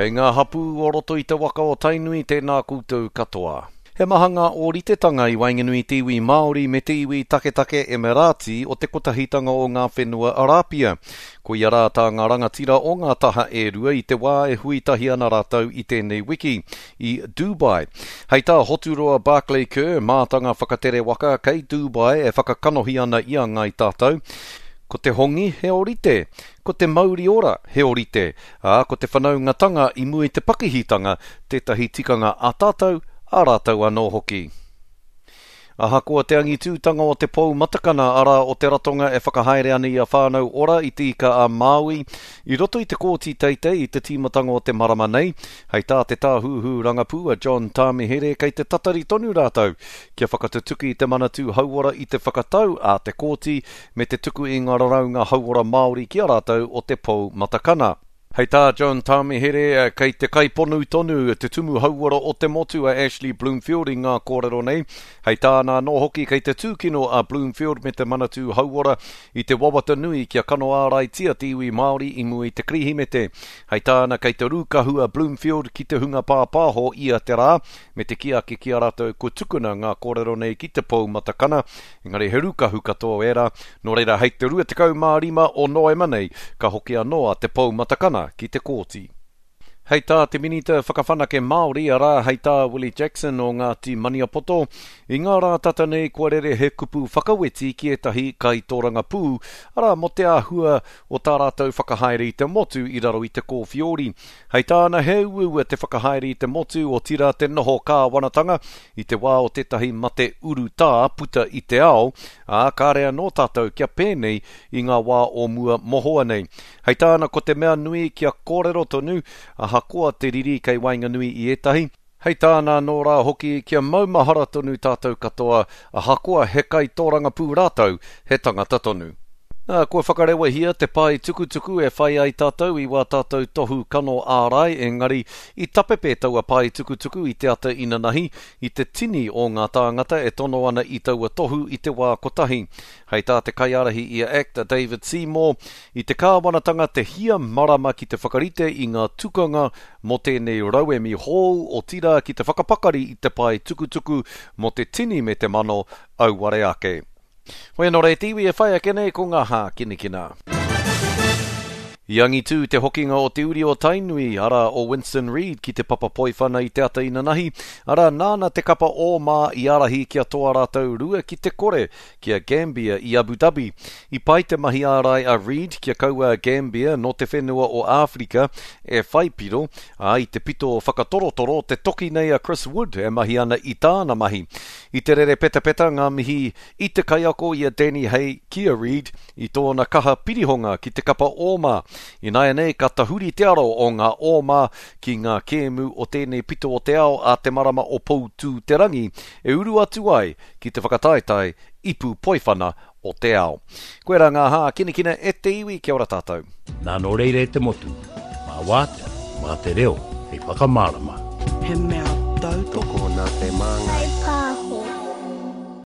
Kei ngā hapū o roto i te waka o Tainui tēnā koutou katoa. He maha ngā ōritetanga i waenganui i te iwi Māori me te iwi taketake Emirāti o te Kotahitanga o ngā Whenua Arāpia. Koia rā tā ngā rangatira o ngā taha e rua i te wā e hui tahi ana rātou i tēnei wiki, i Dubai. Hei tā Hoturoa Barclay Kerr, mātanga whakatere waka kei Dubai e whakakanohi ana i a Ngāi Tātou, Ko te hongi he orite, ko te mauri ora he orite, Ā, ko te whanaungatanga i mua i te pakihitanga tētahi tikanga a tātou, a rātou anō hoki. Ahakoa te angitūtanga o te pou matakana, arā, o te ratonga e whakahaere ana i a Whānau Ora i Te Ika-a-Māui, i roto i te Kōti Teitei i te tīmatanga o te marama nei, hei tā te Tāhuhu Rangapū a John Tāmihere kei te tatari tonu rātou kia whakatutuki te Manatū Hauora i te whakatau a te Kōti me te tuku i ngā raraunga hauora Māori ki a rātou o te Pou Matakana. Hei tā John Tāmihere, kei te kaiponu tonu te tumu hauora o te motu a Ashley Bloomfield i ngā kōrero nei. Hei tāna anō hoki kei te tūkino a Bloomfield me te Manatū Hauora i te wawata nui kia kano āraitia te iwi Māori i mua i te Kirihimete. Hei tāna kei te rūkahu a Bloomfield ki te hunga pāpāho ia te rā me te kī ake ki a rātou kua tukuna ngā kōrero nei ki te Pou Matakana Engari he rūkahu katoa ērā, nō reira hei te 25 o Noema nei ka hoki anō a Te Pou Matakana ki te kōti. Hei tā te Minita Whakawhanake Māori, arā, hei tā Willie Jackson o Ngāti Maniapoto, i ngā rā tata nei kua rere he kupu whakaweti ki ētahi kaitōrangapū, arā, mō te āhua o tā rātou whakahaere i te motu i raro i te kōwhiori. Hei tāna he uaua te whakahaere i te motu, otirā te noho kāwanatanga, i te wā o tētahi mate urutā puta i te ao, ā, kāre anō tātou kia pēnei i ngā wā o mua mohoa nei. Hei tāna ko te mea nui kia kōrero tonu, ahakoa te riri kei waenganui i ētahi, hei tāna anō rā hoki kia maumahara tonu tātou katoa, ahakoa he kaitōrangapū rātou, he tangata tonu. Nā, kua whakarewahia te pae tukutuku e whai ai tātou i wā tātou tohu kano ārai, engari i tapepe taua pae tukutuku i te ata inanahi, i te tini o ngā tāngata e tono ana i taua tohu i te wā kotahi. Hei tā te kaiārahi i a act, a David Seymour, i te kāwanatanga te hia marama ki te whakarite i ngā tukanga mō tēnei rauemi hou, otirā ki te whakapakari i te pae tukutuku mō te tini me te mano auare ake. Hoi anō rā e te iwi e whai ake nei ko ngā hākinakina. I angitū te hokinga o te uri o Tainui, arā, o Winston Reid ki te papa poiwhana i te ata inanahi, arā, nāna te kapa ō-mā i ārahi kia toa rātou 2-0 ki a Gambia i Abu Dhabi. I pai te mahi ārai a Reid kia kaua a Gambia nō te whenua o Āwherika e whai piro, ā, i te pito whakatorotoro te toki nei a Chris Wood e mahi ana i tāna mahi. I te rere petapeta ngā mihi i te kaiako i a Danny Hay ki a Reid i tōna kaha pirihonga ki te kapa ōma. Ināianei ka tahuri te aro o ngā ōma ki ngā kēmu o tēnei pito o te ao a te marama o Poutū-te-rangi e uru atu ai ki te whakataetae Ipu Poiwhana o te ao. Koirā ngā hākinakina e te iwi, kia ora tātou. Nā nō reira e te motu, mā Wātea, mā te reo hei whakamārama. He mea tautoko. Tokona te māngai.